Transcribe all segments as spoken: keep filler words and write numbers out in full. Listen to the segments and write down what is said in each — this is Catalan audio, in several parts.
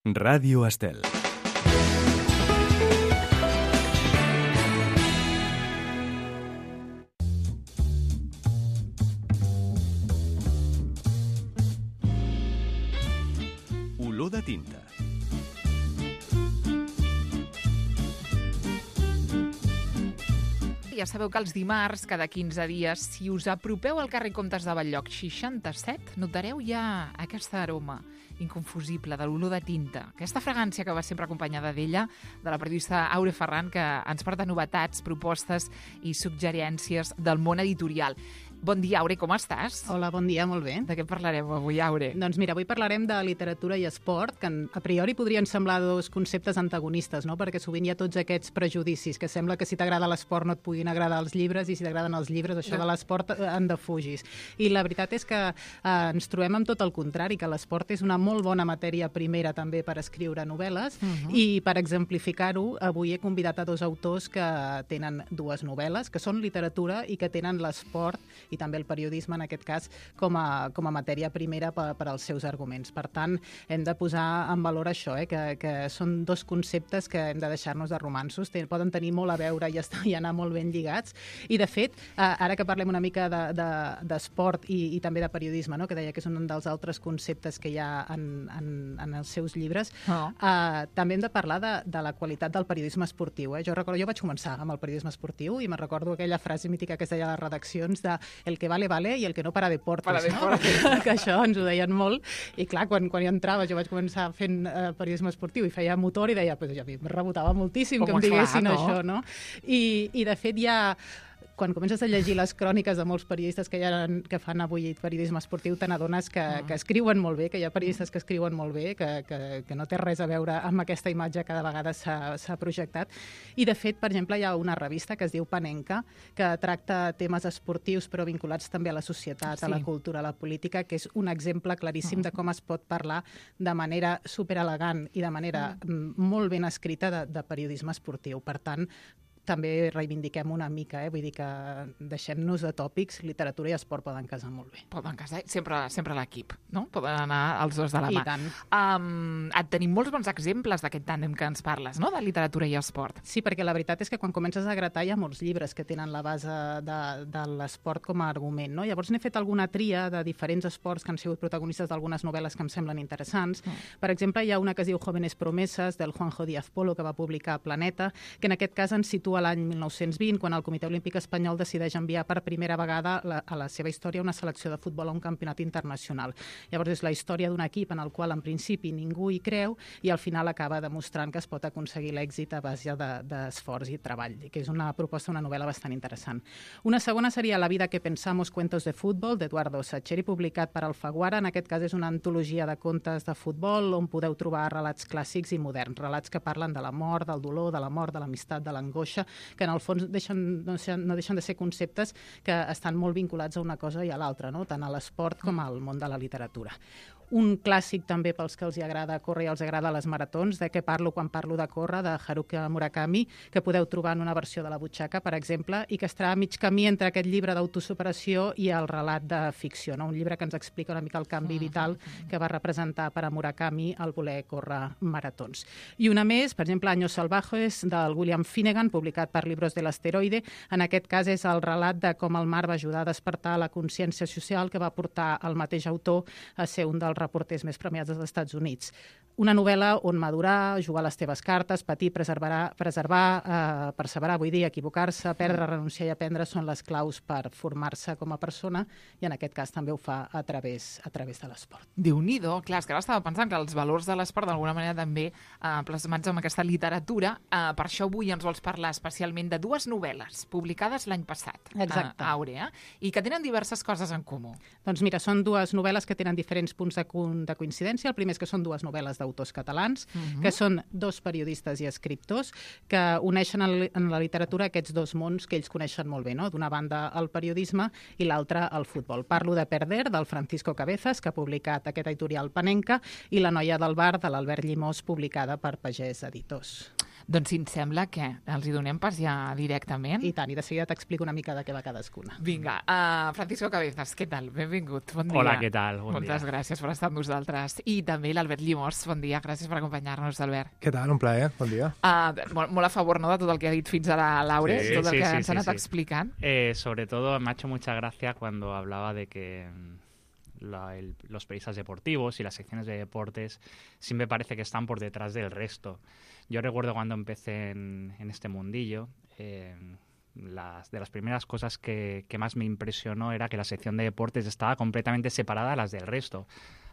Ràdio Estel. Olor de tinta. Ja sabeu que els dimarts, cada quinze dies, si us apropeu al carrer Comtes de Bell-lloc seixanta-set, notareu ja aquesta aroma inconfusible de l'olor de tinta. Aquesta fragància que va sempre acompanyada d'ella, de la periodista Aure Ferran, que ens porta novetats, propostes i suggerències del món editorial. Bon dia, Aure, com estàs? Hola, bon dia, molt bé. De què parlarem avui, Aure? Doncs mira, avui parlarem de literatura i esport, que a priori podrien semblar dos conceptes antagonistes, no? Perquè sovint hi ha tots aquests prejudicis, que sembla que si t'agrada l'esport no et puguin agradar els llibres i si t'agraden els llibres, això de l'esport en defugis. I la veritat és que eh, ens trobem amb tot el contrari, que l'esport és una molt bona matèria primera també per escriure novel·les, uh-huh. i per exemplificar-ho, avui he convidat a dos autors que tenen dues novel·les, que són literatura i que tenen l'esport i també el periodisme, en aquest cas, com a, com a matèria primera per, per als seus arguments. Per tant, hem de posar en valor això, eh, que, que són dos conceptes que hem de deixar-nos de romanços, Ten, poden tenir molt a veure i, estar, i anar molt ben lligats. I, de fet, eh, ara que parlem una mica d'esport de, de, i, i també de periodisme, no? Que deia que és un dels altres conceptes que hi ha en, en, en els seus llibres, oh. eh, també hem de parlar de, de la qualitat del periodisme esportiu. Eh? Jo recordo, jo vaig començar amb el periodisme esportiu i me'n recordo aquella frase mítica que es deia a les redaccions de el que vale, vale, i el que no para deportes, para no? deportes. Que, que això ens ho deien molt, i clar, quan, quan jo entrava, jo vaig començar fent eh, periodisme esportiu i feia motor i deia, pues, ja, em rebotava moltíssim Com que em diguessin clar, no? això, no? I, i de fet hi ha... Quan comences a llegir les cròniques de molts periodistes que, ha, que fan avui periodisme esportiu, te n'adones que, que escriuen molt bé, que hi ha periodistes que escriuen molt bé, que, que, que no té res a veure amb aquesta imatge que de vegades s'ha projectat. I, de fet, per exemple, hi ha una revista que es diu Panenka, que tracta temes esportius però vinculats també a la societat, sí. a la cultura, a la política, que és un exemple claríssim de com es pot parlar de manera superelegant i de manera mm. molt ben escrita de, de periodisme esportiu. Per tant, també reivindiquem una mica, eh? Vull dir que deixem-nos de tòpics, literatura i esport poden casar molt bé. Poden casar, sempre, sempre l'equip, no? Poden anar els dos de la mà. I tant. Um, et tenim molts bons exemples d'aquest tàndem que ens parles, no?, de literatura i esport. Sí, perquè la veritat és que quan comences a gratar hi ha molts llibres que tenen la base de, de l'esport com a argument, no? Llavors n'he fet alguna tria de diferents esports que han sigut protagonistes d'algunes novel·les que em semblen interessants. Mm. Per exemple, hi ha una que es diu Jóvenes Promesas, del Juanjo Díaz Polo, que va publicar Planeta, que en aquest cas ens situa l'any mil nou-cents vint, quan el Comitè Olímpic Espanyol decideix enviar per primera vegada la, a la seva història una selecció de futbol a un campionat internacional. Llavors és la història d'un equip en el qual en principi ningú hi creu i al final acaba demostrant que es pot aconseguir l'èxit a base d'esforç de, i treball, que és una proposta, una novel·la bastant interessant. Una segona seria La vida que pensamos, cuentos de fútbol, d'Eduardo Sacheri, publicat per Alfaguara. En aquest cas és una antologia de contes de futbol on podeu trobar relats clàssics i moderns, relats que parlen de la mort, del dolor, de la mort, de l'amistat, de l'angoixa, que en el fons deixen, no, no deixen de ser conceptes que estan molt vinculats a una cosa i a l'altra, no? Tant a l'esport com al món de la literatura. Un clàssic també pels que els hi agrada córrer i els agrada les maratons, de què parlo quan parlo de córrer, de Haruki Murakami, que podeu trobar en una versió de la butxaca, per exemple, i que estarà a mig camí entre aquest llibre d'autosuperació i el relat de ficció, no? Un llibre que ens explica una mica el canvi vital que va representar per a Murakami el voler córrer maratons. I una més, per exemple, Años salvajes, del William Finnegan, publicat per Libros de l'Asteroide. En aquest cas és el relat de com el mar va ajudar a despertar la consciència social que va portar el mateix autor a ser un dels reporters més premiats dels Estats Units. Una novel·la on madurar, jugar les teves cartes, patir, preservar, preservar eh, perseverar, vull dir, equivocar-se, perdre, renunciar i aprendre són les claus per formar-se com a persona i en aquest cas també ho fa a través, a través de l'esport. Déu-n'hi-do, clar, és que ara estava pensant que els valors de l'esport d'alguna manera també eh, plasmats amb aquesta literatura. Eh, per això avui ens vols parlar especialment de dues novel·les publicades l'any passat. Exacte. A Àurea, i que tenen diverses coses en comú. Doncs mira, són dues novel·les que tenen diferents punts de de coincidència. El primer és que són dues novel·les d'autors catalans, uh-huh. que són dos periodistes i escriptors que uneixen en la literatura aquests dos mons que ells coneixen molt bé, no? D'una banda el periodisme i l'altra el futbol. Parlo de Perder, del Francisco Cabezas, que ha publicat aquest editorial Panenka, i La noia del bar, de l'Albert Llimós, publicada per Pagès Editors. Doncs si ens sembla que els hi donem pas ja directament. I tant, i de seguida t'explico una mica de què va cadascuna. Vinga, uh, Francisco Cabezas, què tal? Benvingut, bon dia. Hola, què tal? Bon Moltes dia. gràcies per estar amb nosaltres. I també l'Albert Llimós, bon dia, gràcies per acompanyar-nos, Albert. Què tal? Un plaer, bon dia. Uh, molt, molt a favor, ¿no?, de tot el que ha dit fins ara Laure, Sí, tot el sí, que sí, ens ha sí, anat sí. explicant. Eh, sobre todo me ha hecho mucha gracia cuando hablaba de que mm, la- el- los periodistas deportivos y las secciones de deportes siempre parece que están por detrás del resto. Yo recuerdo cuando empecé en, en este mundillo, eh, las, de las primeras cosas que, que más me impresionó era que la sección de deportes estaba completamente separada a las del resto.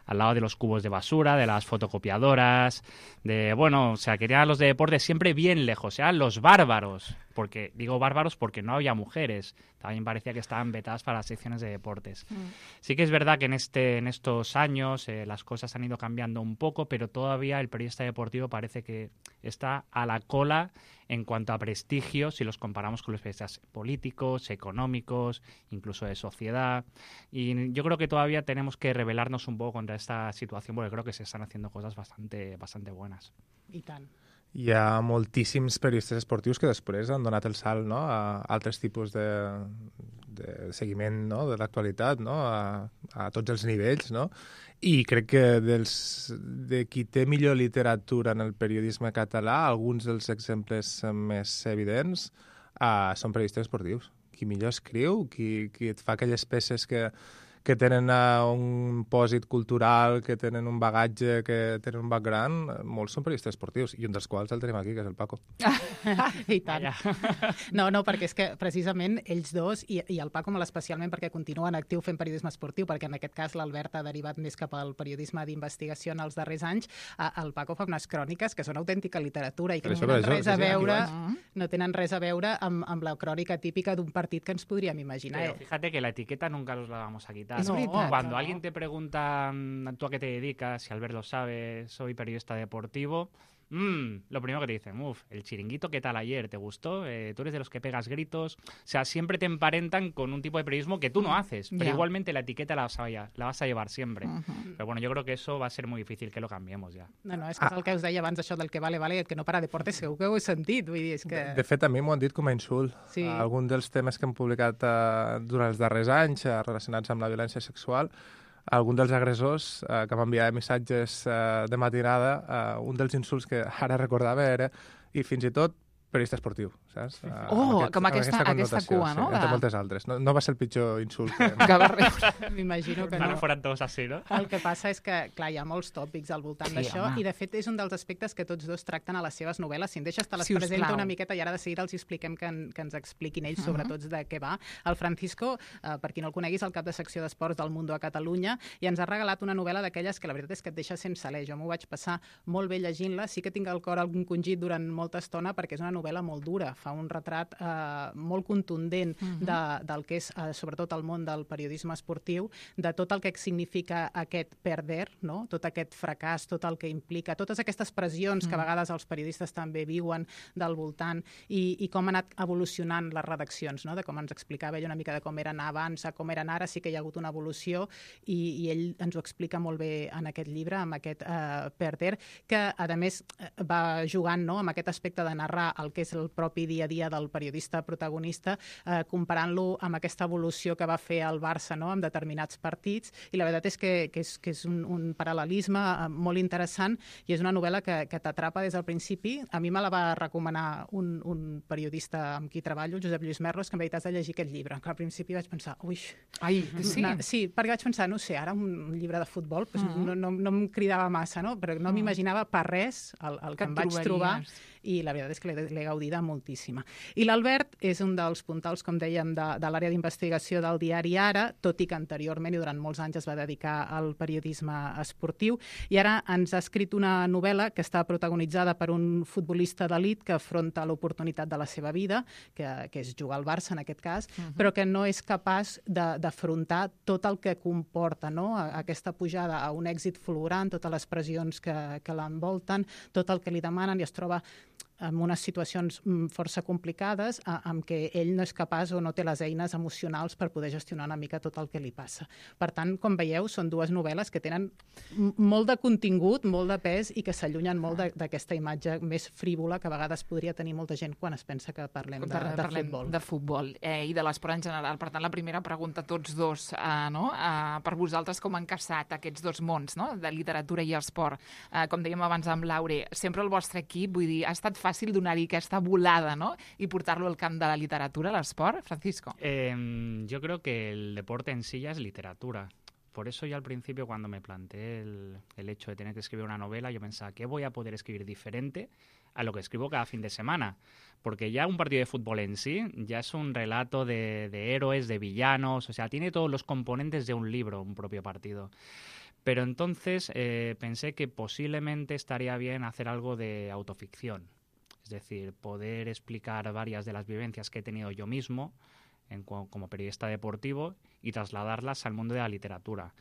Al lado de los cubos de basura, de las fotocopiadoras, de, bueno, o sea, querían a los de deportes siempre bien lejos, eran los bárbaros, porque digo bárbaros porque no había mujeres, también parecía que estaban vetadas para las secciones de deportes. Mm. Sí que es verdad que en, este, en estos años eh, las cosas han ido cambiando un poco, pero todavía el periodista deportivo parece que está a la cola en cuanto a prestigio si los comparamos con los periodistas políticos, económicos, incluso de sociedad. Y yo creo que todavía tenemos que rebelarnos un poco contra esta situación porque creo que se están haciendo cosas bastante, bastante buenas. I tant. Hi ha moltíssims periodistes esportius que després han donat el salt, no?, a altres tipus de, de seguiment, no?, de l'actualitat, no?, a, a tots els nivells, no? I crec que dels, de qui té millor literatura en el periodisme català, alguns dels exemples més evidents uh, són periodistes esportius. Qui millor escriu, qui, qui et fa aquelles peces que, que tenen uh, un pòsit cultural, que tenen un bagatge, que tenen un background, molts són periodistes esportius, i un dels quals el tenim aquí, que és el Paco. I tant. No, no, perquè és que precisament ells dos, i, i el Paco molt especialment perquè continua en actiu fent periodisme esportiu, perquè en aquest cas l'Albert ha derivat més cap al periodisme d'investigació en els darrers anys, el Paco fa unes cròniques que són autèntica literatura i que Per no això, tenen per això, res a sí, sí, aquí veure, vaig. no tenen res a veure amb, amb la crònica típica d'un partit que ens podríem imaginar. Pero fíjate que la etiqueta nunca nos la vamos a quitar. Es veritat, Cuando no. alguien te pregunta mm, ¿tú a qué te dedicas? Si Albert lo sabe, soy periodista deportivo. Mm, lo primero que te dicen, uff, el chiringuito, ¿qué tal ayer? ¿Te gustó? Eh, ¿Tú eres de los que pegas gritos? O sea, siempre te emparentan con un tipo de periodismo que tú no haces, pero Ya. igualmente la etiqueta la vas, a, la vas a llevar siempre. Mhm. Pero bueno, yo creo que eso va a ser muy difícil que lo cambiemos ya. No, no, és que és el que us deia abans, això del que vale, vale, i el que no para deportes, segur que ho he sentit, vull dir, és que... De, de fet, a mi m'ho han dit com a insult. Sí. Uh, algun dels temes que hem publicat uh, durant els darrers anys uh, relacionats amb la violència sexual, algun dels agressors uh, que m'enviava missatges uh, de matinada, uh, un dels insults que ara recordava era, i fins i tot, periodista esportiu, saps? Uh, Oh, com aquesta- aquesta connotació, cua, no? Sí, entre De- moltes altres. No, no va ser el pitjor insult que... Que va rebre. M'imagino que Ojalá no. fueran todos así, ¿no? El que passa és que, clar, hi ha molts tòpics al voltant Sí, d'això home. i, de fet, és un dels aspectes que tots dos tracten a les seves novel·les. Si em deixes, te les Si us presento plau. una miqueta i ara de seguida els expliquem que, en, que ens expliquin ells sobre Mhm. tots de què va. El Francisco, eh, per qui no el coneguis, el cap de secció d'esports del Mundo a Catalunya, i ens ha regalat una novel·la d'aquelles que la veritat és que et deixa sense alè. Jo m'ho vaig passar molt bé llegint-la. Sí que tinc el cor algun congit durant molta estona perquè és una novel·la molt dura. Fa un retrat eh, molt contundent Mhm. de, del que és, eh, sobretot, el món del periodisme esportiu, de tot el que significa aquest perder, no? Tot aquest fracàs, tot el que implica, totes aquestes pressions que a vegades els periodistes també viuen del voltant i, i com han anat evolucionant les redaccions, no? De com ens explicava ell una mica de com eren abans a com eren ara, sí que hi ha hagut una evolució i, i ell ens ho explica molt bé en aquest llibre, amb aquest eh, perder, que a més eh, va jugant, no?, amb aquest aspecte de narrar el que és el propi dia a dia del periodista protagonista, eh, comparant-lo amb aquesta evolució que va fer el Barça, no?, amb determinats partits, i la veritat és que, que és, que és un, un paral·lelisme eh, molt interessant i és una novel·la que, que t'atrapa des del principi. A mi me la va recomanar un, un periodista amb qui treballo, el Josep Lluís Merlos, que em va dir, t'has de llegir aquest llibre. Que al principi vaig pensar, ui... Ai, sí. No, sí, perquè vaig pensar, no sé, ara un llibre de futbol pues, Mhm. no, no, no em cridava massa, no? Però no Mhm. m'imaginava per res el, el que, Que em et vaig trobar trobaries. i la veritat és que l'he l'he gaudida moltíssima. I l'Albert és un dels puntals, com dèiem, de, de l'àrea d'investigació del diari Ara, tot i que anteriorment i durant molts anys es va dedicar al periodisme esportiu, i ara ens ha escrit una novel·la que està protagonitzada per un futbolista d'elit que afronta l'oportunitat de la seva vida, que, que és jugar al Barça en aquest cas, Mhm. però que no és capaç de- d'afrontar tot el que comporta, no? A- aquesta pujada a un èxit fulgurant, totes les pressions que, que l'envolten, tot el que li demanen, i es troba en unes situacions força complicades amb què ell no és capaç o no té les eines emocionals per poder gestionar una mica tot el que li passa. Per tant, com veieu, són dues novel·les que tenen molt de contingut, molt de pes i que s'allunyen molt d'aquesta imatge més frívola que a vegades podria tenir molta gent quan es pensa que parlem de, de parlem futbol. De futbol eh, i de l'esport en general. Per tant, la primera pregunta a tots dos, eh, no? eh, per vosaltres com han casat aquests dos mons, no? De literatura i esport. Eh, com dèiem abans amb Laure, sempre el vostre equip, vull dir, ha estat fàcil donar-hi aquesta volada, ¿no? Y portarlo al camp de la literatura, al sport, Francisco. Eh, yo creo que el deporte en sí ya es literatura. Por eso yo al principio, cuando me planteé el, el hecho de tener que escribir una novela, yo pensaba, ¿qué voy a poder escribir diferente a lo que escribo cada fin de semana? Porque ya un partido de fútbol en sí ya es un relato de, de héroes, de villanos, o sea, tiene todos los componentes de un libro, un propio partido. Pero entonces eh, pensé que posiblemente estaría bien hacer algo de autoficción. Es decir, poder explicar varias de las vivencias que he tenido yo mismo en, como periodista deportivo y trasladarlas al mundo de la literatura.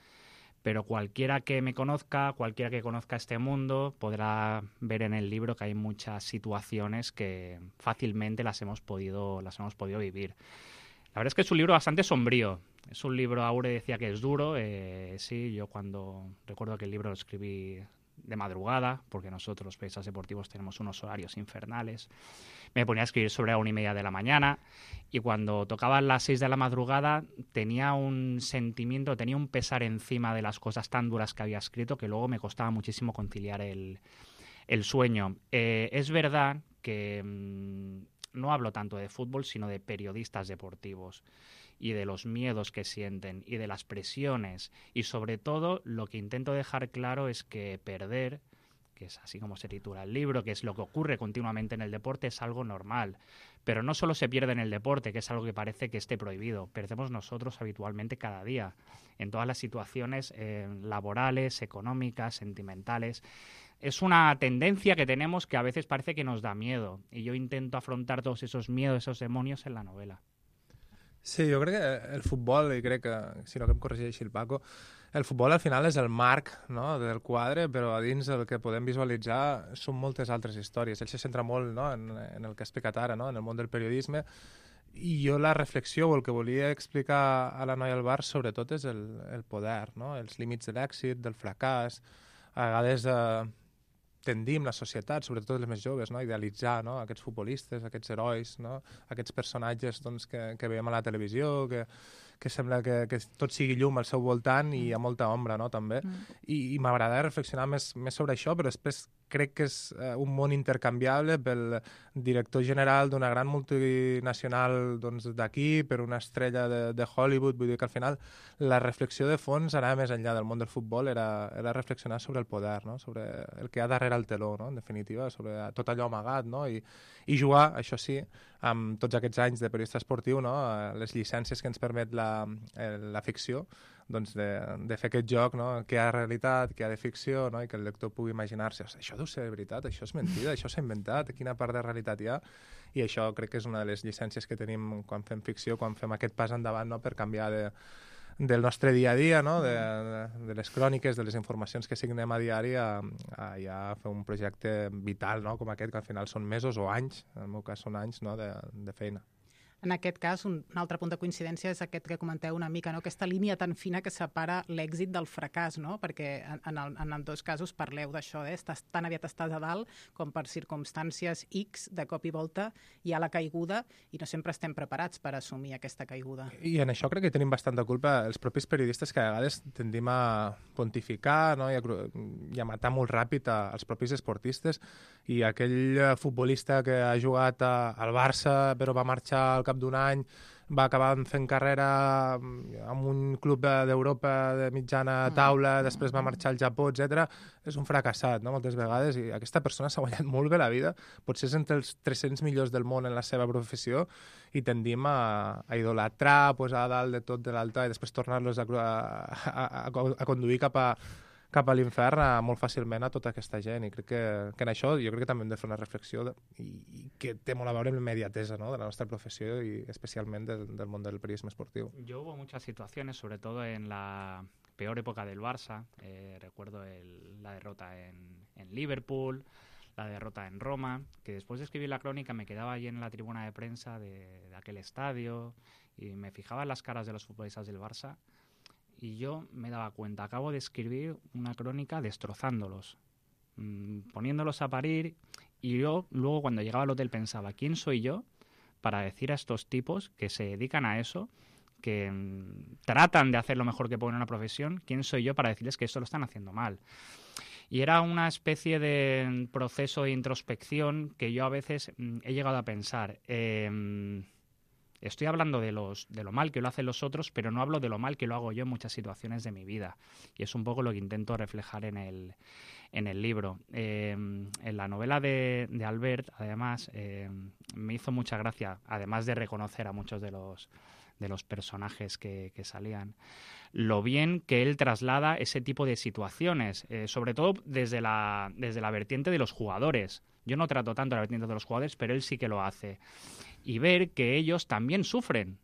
Pero cualquiera que me conozca, cualquiera que conozca este mundo, podrá ver en el libro que hay muchas situaciones que fácilmente las hemos podido, las hemos podido vivir. La verdad es que es un libro bastante sombrío. Es un libro, Aure decía que es duro. Eh, sí, yo cuando recuerdo que el libro lo escribí de madrugada, porque nosotros los periodistas deportivos tenemos unos horarios infernales. Me ponía a escribir sobre la una y media de la mañana y cuando tocaban las seis de la madrugada tenía un sentimiento, tenía un pesar encima de las cosas tan duras que había escrito que luego me costaba muchísimo conciliar el, el sueño. Eh, es verdad que mmm, no hablo tanto de fútbol, sino de periodistas deportivos y de los miedos que sienten y de las presiones y sobre todo lo que intento dejar claro es que perder, que es así como se titula el libro, que es lo que ocurre continuamente en el deporte, es algo normal. Pero no solo se pierde en el deporte, que es algo que parece que esté prohibido, perdemos nosotros habitualmente cada día, en todas las situaciones eh, laborales, económicas, sentimentales. Es una tendencia que tenemos que a veces parece que nos da miedo y yo intento afrontar todos esos miedos, esos demonios en la novela. Sí, jo crec que el futbol, i crec que, si no que em corregeixi el Paco, el futbol al final és el marc, no?, del quadre, però a dins el que podem visualitzar són moltes altres històries. Ell se centra molt, no?, en, en el que ha explicat ara, no?, en el món del periodisme, i jo la reflexió o el que volia explicar a la noia al bar sobretot és el, el poder, no?, els límits de l'èxit, del fracàs, a vegades eh, tendim la societat, sobretot els més joves, no?, a idealitzar, no?, aquests futbolistes, aquests herois, no?, aquests personatges doncs, que, que veiem a la televisió, que, que sembla que, que tot sigui llum al seu voltant i hi ha molta ombra, no?, també. Mm. I, i m'agrada reflexionar més, més sobre això, però després crec que és uh, un món intercanviable pel director general d'una gran multinacional doncs, d'aquí, per una estrella de, de Hollywood. Vull dir que al final la reflexió de fons anava més enllà del món del futbol, era, era reflexionar sobre el poder, no?, sobre el que hi ha darrere el teló, no?, en definitiva, sobre tot allò amagat, no?, i, i jugar, això sí, amb tots aquests anys de periodista esportiu, no?, les llicències que ens permet la, la ficció, doncs de, de fer aquest joc, no?, que hi ha realitat, que hi ha de ficció, no?, i que el lector pugui imaginar-se, això deu ser veritat, això és mentida, això s'ha inventat, quina part de realitat hi ha, i això crec que és una de les llicències que tenim quan fem ficció, quan fem aquest pas endavant, no?, per canviar de, del nostre dia a dia, no?, de, de, de les cròniques, de les informacions que signem a diari, a, a ja fer un projecte vital, no?, com aquest, que al final són mesos o anys, en el meu cas són anys, no?, de, de feina. En aquest cas, un, un altre punt de coincidència és aquest que comenteu una mica, no? Aquesta línia tan fina que separa l'èxit del fracàs, no? Perquè en, en, el, en els dos casos parleu d'això, eh? Estàs, tan aviat estàs a dalt com per circumstàncies X, de cop i volta hi ha la caiguda i no sempre estem preparats per assumir aquesta caiguda. I en això crec que tenim bastanta culpa els propis periodistes, que a vegades tendim a pontificar, no?, i, a, i a matar molt ràpid a, als propis esportistes, i aquell futbolista que ha jugat a, al Barça però va marxar al cap d'un any, va acabar fent carrera en un club d'Europa de mitjana taula, després va marxar al Japó, etcètera. És un fracassat, no?, moltes vegades, i aquesta persona s'ha guanyat molt bé la vida, potser és entre els tres-cents millors del món en la seva professió, i tendim a, a idolatrar, a posar a dalt de tot de l'altar i després tornar-los a, a, a, a conduir cap a cap a l'infern molt fàcilment a tota aquesta gent, i crec que, que en això jo crec que també hem de fer una reflexió de, i, i que té molt a veure amb l'immediatesa, ¿no?, de la nostra professió i especialment del, del món del periodisme esportiu. Yo hubo muchas situaciones, sobre todo en la peor época del Barça, eh, recuerdo el, la derrota en, en Liverpool, la derrota en Roma, que después de escribir la crónica me quedaba allí en la tribuna de prensa de, de aquel estadio y me fijaba en las caras de los futbolistas del Barça y yo me daba cuenta, acabo de escribir una crónica destrozándolos, mmm, poniéndolos a parir, y yo luego cuando llegaba al hotel pensaba, ¿quién soy yo para decir a estos tipos que se dedican a eso, que mmm, tratan de hacer lo mejor que pueden en una profesión, quién soy yo para decirles que esto lo están haciendo mal? Y era una especie de proceso de introspección que yo a veces mmm, he llegado a pensar, eh, estoy hablando de, los, de lo mal que lo hacen los otros, pero no hablo de lo mal que lo hago yo en muchas situaciones de mi vida. Y es un poco lo que intento reflejar en el, en el libro. Eh, en la novela de, de Albert, además, eh, me hizo mucha gracia, además de reconocer a muchos de los, de los personajes que, que salían, lo bien que él traslada ese tipo de situaciones, eh, sobre todo desde la, desde la vertiente de los jugadores. Yo no trato tanto la vertiente de los jugadores, pero él sí que lo hace. Y ver que ellos también sufren.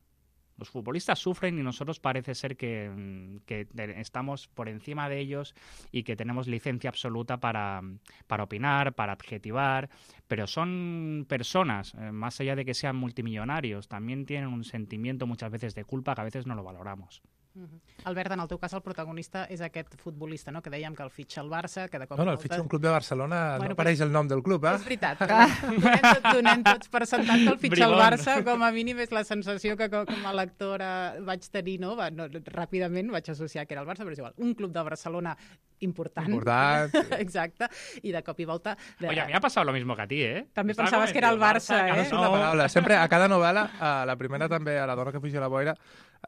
Los futbolistas sufren y nosotros parece ser que, que estamos por encima de ellos y que tenemos licencia absoluta para, para opinar, para adjetivar, pero son personas, eh, más allá de que sean multimillonarios, también tienen un sentimiento muchas veces de culpa que a veces no lo valoramos. Uh-huh. Albert, en el teu cas el protagonista és aquest futbolista, no? Que dèiem que el fitxa el Barça, que de cop No, no, el volta... fitxa un club de Barcelona, Bueno, no apareix el nom del club, eh? És veritat, però donem, tot, donem tots per sentat que el fitxa el Bribón. Barça, com a mínim és la sensació que com com a lectora vaig tenir, no? Va, no? Ràpidament vaig associar que era el Barça, però és igual, un club de Barcelona important. Important. Exacte, i de cop i volta... De... Oye, a mí me ha pasado lo mismo que a ti, ¿eh? També Estaba pensaves que era el convencido, Barça, que eh? És una paraula. Sempre, a cada novel·la, a la primera també, a la dona que fugia a la boira,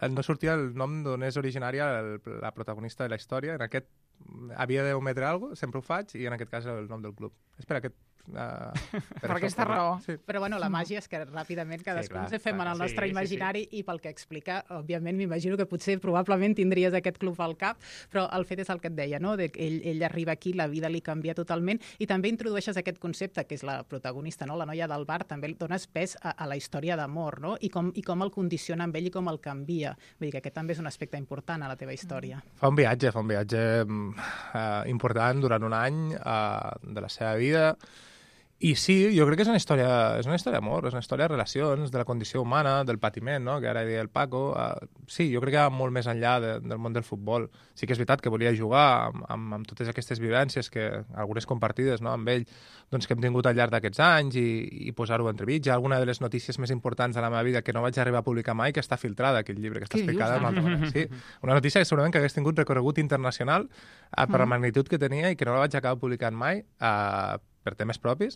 eh, no sortia el nom d'on és originària el, la protagonista de la història. En aquest havia d'ometre alguna cosa, sempre ho faig, i en aquest cas el nom del club. És per aquest... Uh, per aquesta raó. Sí. Però bueno, la màgia és que ràpidament cadascú clar, ens fem en el clar, nostre sí, sí, imaginari i pel que explica, òbviament m'imagino que potser probablement tindries aquest club al cap, però el fet és el que et deia, no? De que ell, ell arriba aquí, la vida li canvia totalment i també introdueixes aquest concepte que és la protagonista, no? La noia del bar, també dones pes a, a la història d'amor, no? I com, i com el condiciona amb ell i com el canvia. Vull dir que aquest també és un aspecte important a la teva història. Fa un viatge, fa un viatge uh, important durant un any uh, de la seva vida. I sí, jo crec que és una història, és una història d'amor, és una història de relacions, de la condició humana, del patiment, no? Que ara deia el Paco. Uh, sí, jo crec que va molt més enllà de, del món del futbol. Sí que és veritat que volia jugar amb, amb, amb totes aquestes vivències, que algunes compartides, no? Amb ell, doncs, que hem tingut al llarg d'aquests anys i, i posar-ho entremig. Hi ha alguna de les notícies més importants de la meva vida que no vaig arribar a publicar mai, que està filtrada, aquell llibre, que està Què explicada dius, d'una altra manera. Sí, una notícia que segurament que hagués tingut recorregut internacional uh, per la magnitud que tenia i que no la vaig acabar publicant mai, uh, per temes propis,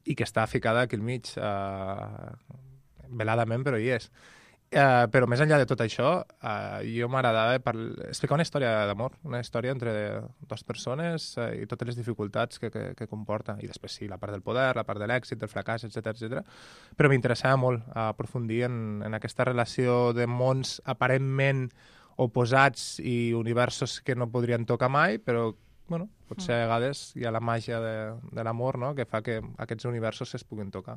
i que està ficada aquí al mig, uh, veladament, però hi és. Uh, però més enllà de tot això, uh, jo m'agradava explicar una història d'amor, una història entre dues persones uh, i totes les dificultats que, que, que comporta. I després sí, la part del poder, la part de l'èxit, del fracàs, etcètera, etcètera. Però m'interessava molt uh, aprofundir en, en aquesta relació de mons aparentment oposats i universos que no podrien tocar mai, però bueno, potser a vegades hi ha la màgia de, de l'amor, no?, que fa que aquests universos es puguin tocar.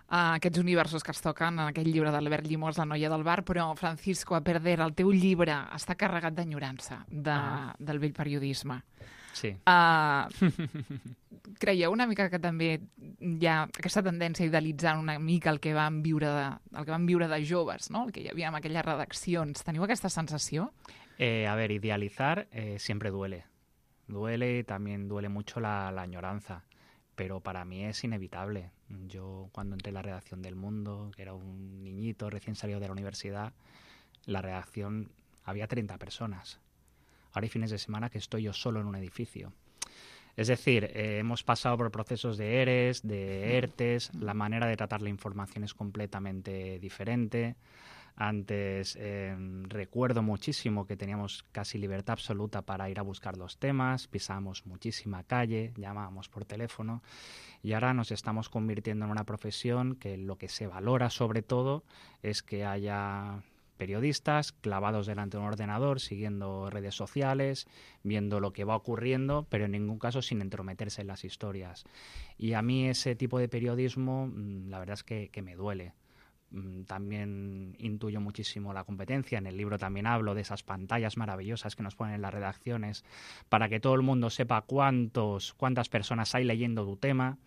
Uh, aquests universos que es toquen en aquell llibre d'Albert Llimós, La noia del bar, però, Francisco, a perder, el teu llibre està carregat d'enyorança de, ah. del vell periodisme. Sí. Uh, creieu una mica que també hi ha aquesta tendència a idealitzar una mica el que vam viure de, el que vam viure de joves, no? El que hi havia en aquelles redaccions. Teniu aquesta sensació? Eh, a ver, idealizar eh, siempre duele. Duele, también duele mucho la, la añoranza, pero para mí es inevitable. Yo cuando entré en la redacción del Mundo, que era un niñito recién salido de la universidad, la redacción había treinta personas. Ahora hay fines de semana que estoy yo solo en un edificio. Es decir, eh, hemos pasado por procesos de ERES, de ERTES, la manera de tratar la información es completamente diferente. Antes eh, recuerdo muchísimo que teníamos casi libertad absoluta para ir a buscar los temas, pisábamos muchísima calle, llamábamos por teléfono y ahora nos estamos convirtiendo en una profesión que lo que se valora sobre todo es que haya periodistas clavados delante de un ordenador, siguiendo redes sociales, viendo lo que va ocurriendo, pero en ningún caso sin entrometerse en las historias. Y a mí ese tipo de periodismo, la verdad es que, que me duele. mmm, también intuyo muchísimo la competencia. En el libro también hablo de esas pantallas maravillosas que nos ponen en las redacciones para que todo el mundo sepa cuántos, cuántas personas hay leyendo tu tema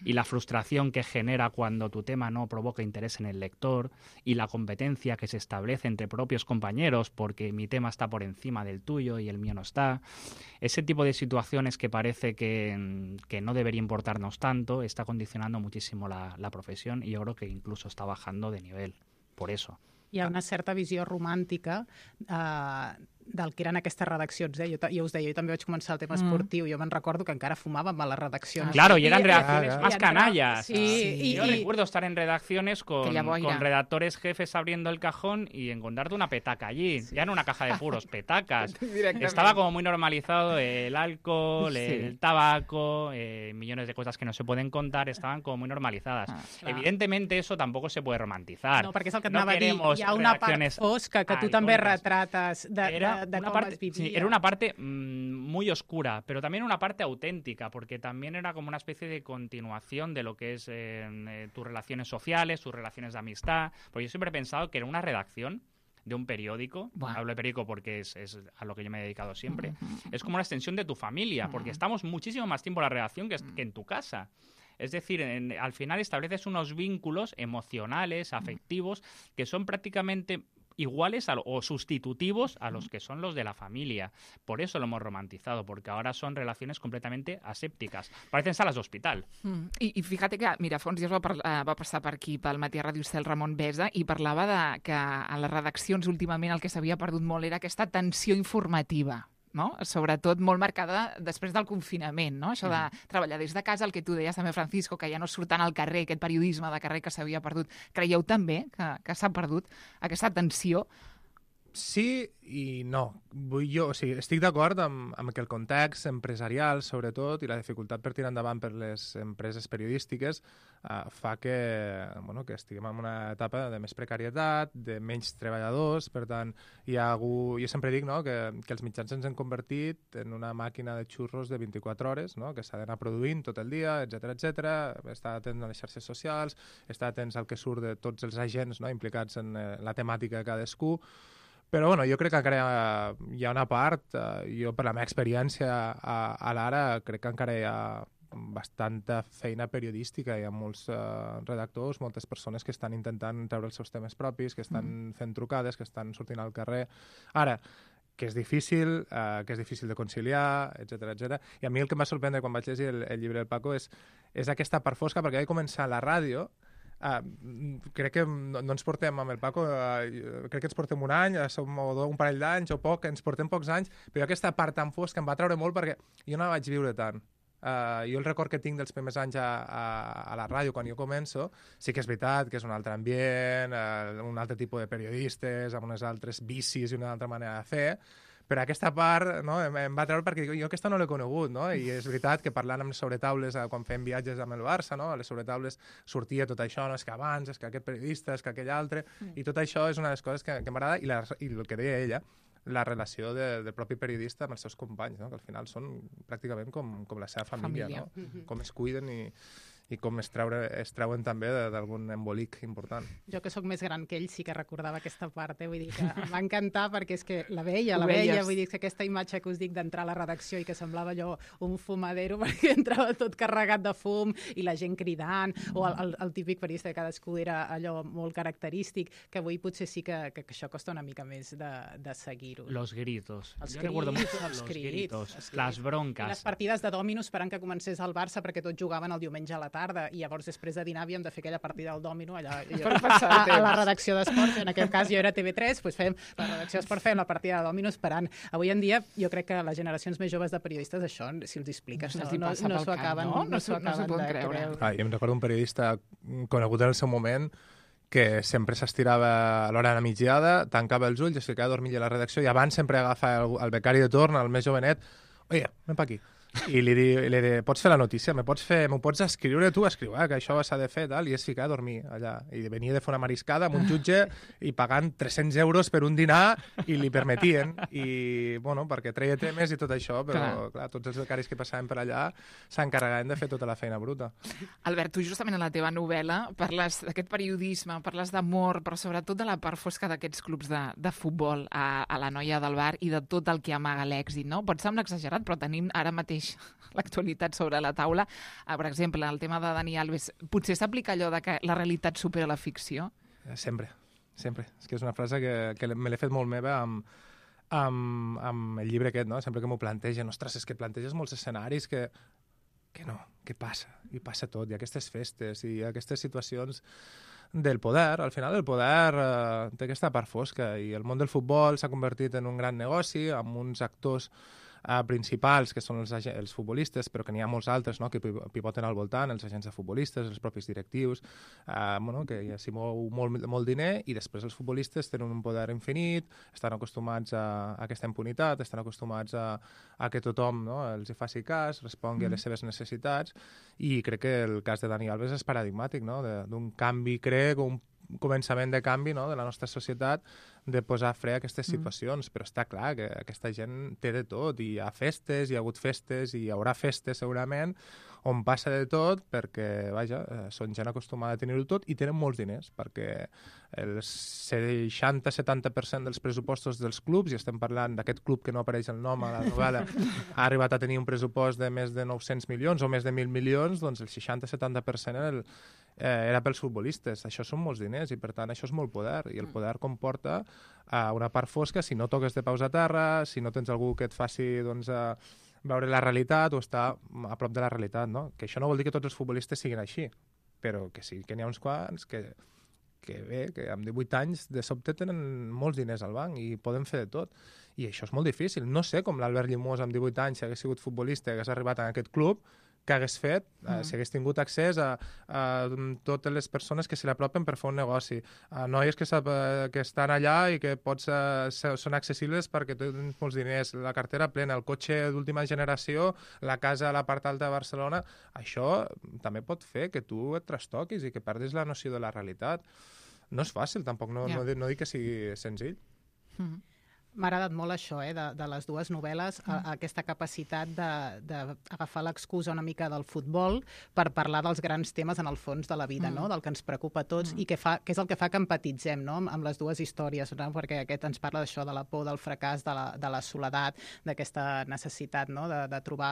y la frustración que genera cuando tu tema no provoca interés en el lector y la competencia que se establece entre propios compañeros porque mi tema está por encima del tuyo y el mío no está. Ese tipo de situaciones que parece que, que no debería importarnos tanto está condicionando muchísimo la, la profesión y yo creo que incluso está bajando de nivel, por eso. Hi ha una certa visió romàntica eh, del que eren aquestes redaccions. Eh? Jo, jo us deia, jo també vaig començar el tema esportiu, mm. jo me'n recordo que encara fumàvem a les redaccions. Claro, y eran I, redacciones i, más i, canallas. Sí, sí. Yo Y, recuerdo estar en redacciones con, con redactores jefes abriendo el cajón y encontrarte una petaca allí, sí. ya en una caja de puros, petacas. Estaba como muy normalizado el alcohol, sí. el tabaco, eh, millones de cosas que no se pueden contar, estaban como muy normalizadas. Ah, Evidentemente eso tampoco se puede romantizar. No, perquè és el que et no anava a dir, hi ha una part fosca que tu també retrates de, era de, de una com parte, es vivia. Sí, era una parte mmm, muy oscura, pero también una parte auténtica, porque también era como una especie de continuación de lo que es eh, eh, tus relaciones sociales, tus relaciones de amistad, porque yo siempre he pensado que era una redacción de un periódico, bueno. hablo de periódico porque es, es a lo que yo me he dedicado siempre, uh-huh. es como una extensión de tu familia, porque uh-huh. estamos muchísimo más tiempo en la redacción que, que en tu casa. Es decir, en, al final estableces unos vínculos emocionales, afectivos, que son prácticamente iguales a lo, o sustitutivos a los que son los de la familia. Por eso lo hemos romantizado, porque ahora son relaciones completamente asèptiques. Parecen salas d'hospital. Mm. I, I fíjate que, mira, fa uns dies va, parlar, va passar per aquí, pel Matí a Ràdio Estel, Ramon Besa, i parlava de que a les redaccions últimament el que s'havia perdut molt era aquesta tensió informativa. No? Sobretot molt marcada després del confinament, no? Això de treballar des de casa, el que tu deies també, Francisco, que ja no surten al carrer, aquest periodisme de carrer que s'havia perdut. Creieu també que, que s'ha perdut aquesta tensió? Sí i no. Vull jo, o sigui, estic d'acord amb, amb que el context empresarial, sobretot, i la dificultat per tirar endavant per les empreses periodístiques eh, fa que, bueno, que estiguem en una etapa de més precarietat, de menys treballadors, per tant, hi ha algú... Jo sempre dic no, que, que els mitjans ens han convertit en una màquina de xurros de vint-i-quatre hores, no? Que s'ha d'anar produint tot el dia, etcètera, etcètera, estar atent a les xarxes socials, estar atents al que surt de tots els agents no, implicats en eh, la temàtica de cadascú. Però bueno, jo crec que encara hi ha una part, eh, jo per la meva experiència a, a l'Ara crec que encara hi ha bastanta feina periodística, hi ha molts eh, redactors, moltes persones que estan intentant treure els seus temes propis, que estan mm. fent trucades, que estan sortint al carrer. Ara, que és difícil, eh, que és difícil de conciliar, etcètera, etcètera. I a mi el que em va sorprendre quan vaig llegir el, el llibre del Paco és, és aquesta part fosca, perquè vaig començar a la ràdio. Uh, crec que no, no ens portem amb el Paco, uh, crec que ens portem un any, uh, som un parell d'anys o poc, ens portem pocs anys, però aquesta part tan fosca em va treure molt perquè jo no la vaig viure tant. Uh, jo el record que tinc dels primers anys a, a, a la ràdio quan jo començo, sí que és veritat que és un altre ambient, uh, un altre tipus de periodistes, amb unes altres vicis i una altra manera de fer, però aquesta part no, em, em va treure perquè jo aquesta no l'he conegut, no? I és veritat que parlant amb les sobretaules, quan fem viatges amb el Barça, no? A les sobretaules sortia tot això, no? És que abans, és que aquest periodista, és que aquell altre, mm. i tot això és una de les coses que, que m'agrada, i, la, i el que deia ella, la relació de, del propi periodista amb els seus companys, no? Que al final són pràcticament com, com la seva família, família. No? Mm-hmm. Com es cuiden i... i com es, treure, es treuen també d'algun embolic important. Jo que sóc més gran que ell sí que recordava aquesta part, eh? Vull dir que em va encantar perquè és que la veia, la veia, vull dir que aquesta imatge que us dic d'entrar a la redacció i que semblava allò un fumadero perquè entrava tot carregat de fum i la gent cridant, o el, el, el típic periodista que cadascú era allò molt característic, que avui potser sí que, que, que això costa una mica més de, de seguir-ho. Los gritos. Els Yo crits, recuerdo mucho els los crits, gritos, els las broncas. I les partides de dòmino esperant que comencés el Barça perquè tots jugaven el diumenge a la tarda i llavors després de dinar havíem de fer aquella partida del dòmino allà jo, a, a la redacció d'esports, en aquest cas jo era T V tres, doncs fèiem la redacció d'esports, fèiem la partida de dòmino esperant. Avui en dia jo crec que les generacions més joves de periodistes això, si els expliques, no, no, no, no s'ho acaben, no, no, no, no de creure. Ah, jo em recordo un periodista conegut en el seu moment que sempre s'estirava a l'hora de la migdiada, tancava els ulls, es ficava a dormir a la redacció i abans sempre agafava el, el becari de torn, el més jovenet, oye, ven pa aquí. i li dic, li dic, pots fer la notícia, me pots fer, m'ho pots escriure tu, escriu, eh, que això s'ha de fer, tal, i és ficar a dormir allà. I venia de fer una mariscada amb un jutge i pagant tres-cents euros per un dinar i li permetien, i, bueno, perquè treia temes i tot això, però, clar, clar tots els becaris que passaven per allà s'encarregaven de fer tota la feina bruta. Albert, tu justament en la teva novel·la parles d'aquest periodisme, parles d'amor, però sobretot de la part fosca d'aquests clubs de, de futbol a, a la noia del bar i de tot el que amaga l'èxit, no? Pot semblar exagerat, però tenim ara mateix l'actualitat sobre la taula. Ah, per exemple, el tema de Dani Alves. Potser s'aplica allò de que la realitat supera la ficció? Sempre, sempre. És que és una frase que, que me l'he fet molt meva amb, amb, amb el llibre aquest, no? Sempre que m'ho plantegen, ostres, és que planteges molts escenaris que, que no, que passa, i passa tot, i aquestes festes, i aquestes situacions del poder. Al final el poder eh, té aquesta part fosca, i el món del futbol s'ha convertit en un gran negoci amb uns actors eh, principals, que són els, els futbolistes, però que n'hi ha molts altres, no?, que pivoten al voltant, els agents de futbolistes, els propis directius, eh, bueno, que ja s'hi mou molt, molt diner, i després els futbolistes tenen un poder infinit, estan acostumats a, a aquesta impunitat, estan acostumats a, a que tothom, no?, els hi faci cas, respongui mm. a les seves necessitats, i crec que el cas de Dani Alves és paradigmàtic, no?, d'un canvi, crec, un començament de canvi, no?, de la nostra societat, de posar fre a aquestes situacions, mm. però està clar que aquesta gent té de tot, i hi ha festes, hi ha hagut festes, i hi haurà festes segurament, on passa de tot, perquè, vaja, són gent acostumada a tenir-ho tot i tenen molts diners, perquè el seixanta setanta per cent dels pressupostos dels clubs, i estem parlant d'aquest club que no apareix el nom a la novel·la, ha arribat a tenir un pressupost de més de nou-cents milions o més de mil milions, doncs el seixanta setanta per cent era, el, eh, era pels futbolistes. Això són molts diners i, per tant, això és molt poder, i el poder comporta eh, una part fosca si no toques de peus a terra, si no tens algú que et faci, doncs, eh, veure la realitat o estar a prop de la realitat, no? Que això no vol dir que tots els futbolistes siguin així, però que sí que n'hi ha uns quants que, que bé, que amb divuit anys de sobte tenen molts diners al banc i poden fer de tot. I això és molt difícil. No sé com l'Albert Llimós amb divuit anys, si hagués sigut futbolista i hagués arribat a aquest club, que hagués fet, mm. eh, si hagués tingut accés a, a totes les persones que se l'apropen per fer un negoci, a noies que, sap, que estan allà i que pots, eh, són accessibles perquè tens molts diners, la cartera plena, el cotxe d'última generació, la casa a la part alta de Barcelona. Això també pot fer que tu et trastoquis i que perdis la noció de la realitat. No és fàcil, tampoc, no, yeah. no, no dic que sigui senzill. Mm-hmm. M'ha agradat molt això, eh, de, de les dues novel·les, mm. a, aquesta capacitat d'agafar l'excusa una mica del futbol per parlar dels grans temes en el fons de la vida, mm. no?, del que ens preocupa a tots, mm. i que, fa, que és el que fa que empatitzem, no?, amb, amb les dues històries, no?, perquè aquest ens parla d'això, de la por, del fracàs, de la, de la soledat, d'aquesta necessitat, no?, de, de trobar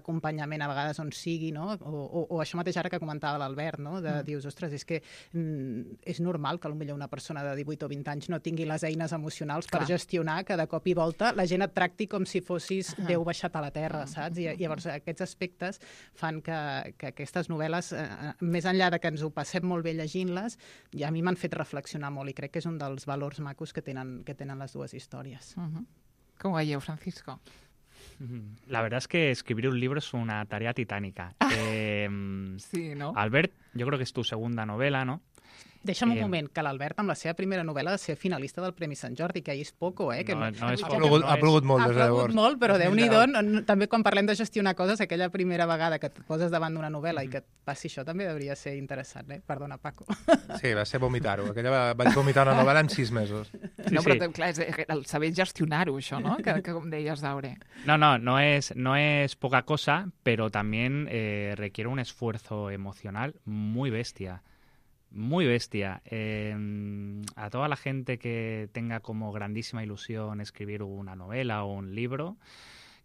acompanyament a vegades on sigui, no?, o, o, o això mateix ara que comentava l'Albert, no?, de mm. dius, ostres, és que mm, és normal que potser una persona de divuit o vint anys no tingui les eines emocionals Clar. per gestionar que de cop i volta la gent et tracti com si fossis uh -huh. Déu baixat a la terra, saps? I, i llavors aquests aspectes fan que, que aquestes novel·les, eh, més enllà de que ens ho passem molt bé llegint-les, ja a mi m'han fet reflexionar molt i crec que és un dels valors macos que tenen, que tenen les dues històries. Uh -huh. Com ho veieu, Francisco? La verdad es que escribir un libro es una tarea titánica. eh, sí, ¿no? Albert, yo creo que es tu segunda novela, ¿no? Deixa'm un eh... moment, que l'Albert amb la seva primera novel·la de ser finalista del Premi Sant Jordi, que ahir és poco, eh? Que no, no és ha, plogut, no ha plogut molt, des de llavors. Ha plogut molt, però Déu-n'hi-do, no, també quan parlem de gestionar coses, aquella primera vegada que et poses davant d'una novel·la mm. i que et passi això també hauria ser interessant, eh? Perdona, Paco. Sí, va ser vomitar-ho. Aquella va, vaig vomitar una novel·la en sis mesos. Sí, no, però sí. clar, és el saber gestionar-ho, això, no? Que, que com deies, Daure. No, no, no es, no es poca cosa, pero también eh, requiere un esfuerzo emocional muy bestia. Muy bestia. Eh, a toda la gente que tenga como grandísima ilusión escribir una novela o un libro,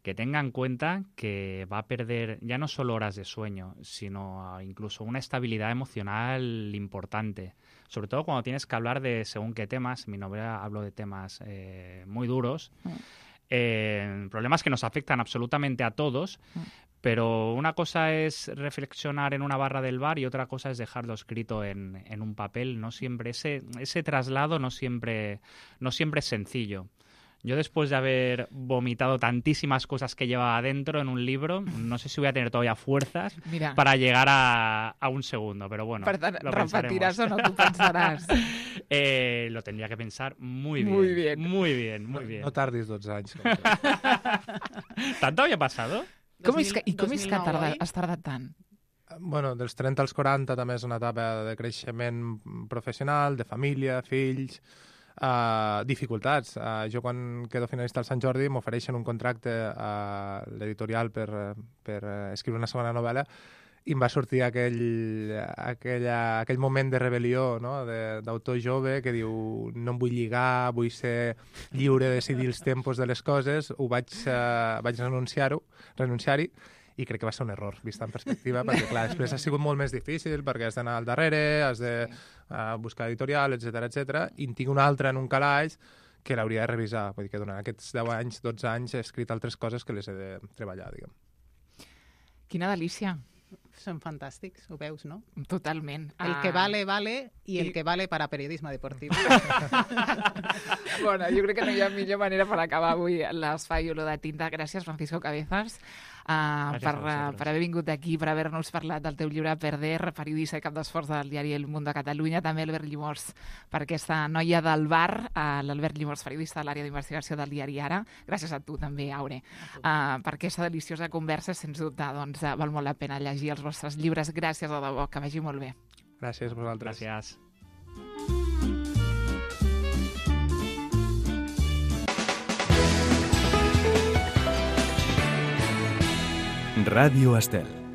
que tenga en cuenta que va a perder ya no solo horas de sueño, sino incluso una estabilidad emocional importante. Sobre todo cuando tienes que hablar de según qué temas. En mi novela hablo de temas eh, muy duros, mm. eh, problemas que nos afectan absolutamente a todos, mm. pero una cosa es reflexionar en una barra del bar y otra cosa es dejarlo escrito en, en un papel. No siempre ese, ese traslado no siempre, no siempre es sencillo. Yo después de haber vomitado tantísimas cosas que llevaba adentro en un libro, no sé si voy a tener todavía fuerzas Mira. para llegar a, a un segundo, pero bueno, per tant, lo repetiràs o no, tu pensaràs. eh, lo tendría que pensar muy bien. Muy bien. Muy bien, muy bien. No tardis dotze anys. ¿Tanto había pasado? Com és que, I com dos és mil que nou, tarda, oi? has tardat tant? Bueno, dels trenta als quaranta també és una etapa de creixement professional, de família, fills, uh, dificultats. Uh, jo quan quedo finalista al Sant Jordi m'ofereixen un contracte a l'editorial per, per escriure una segona novel·la i em va sortir aquell, aquella, aquell moment de rebel·lió, no? D'autor jove que diu no em vull lligar, vull ser lliure de decidir els tempos de les coses, ho vaig, uh, vaig renunciar-ho, renunciar-hi, i crec que va ser un error, vist en perspectiva, perquè clar, després ha sigut molt més difícil, perquè has d'anar al darrere, has de uh, buscar editorial, etcètera, etcètera, i en tinc un altre en un calaix que l'hauria de revisar. Vull dir que durant aquests deu anys, dotze anys, he escrit altres coses que les he de treballar, diguem. Quina delícia. Són fantàstics, ho veus, no? Totalment. El Ah. que vale, vale, i el I- que vale para periodisme deportiu. Bueno, jo crec que no hi ha millor manera per acabar avui l'espai Olor de Tinta. Gràcies, Francisco Cabezas, uh, Gràcies per, a uh, vosaltres. per haver vingut aquí, per haver-nos parlat del teu llibre Perder, periodista i cap d'esforç del diari El Mundo de Catalunya. També Albert Llimós, per aquesta noia del bar, uh, l'Albert Llimós, periodista de l'àrea d'investigació del diari Ara. Gràcies a tu també, Aure, uh, per aquesta deliciosa conversa. Sens dubte, doncs, uh, val molt la pena llegir els vostres llibres. Gràcies de debò, que vagi molt bé. Gràcies a vosaltres. Gràcies. Radio Estel.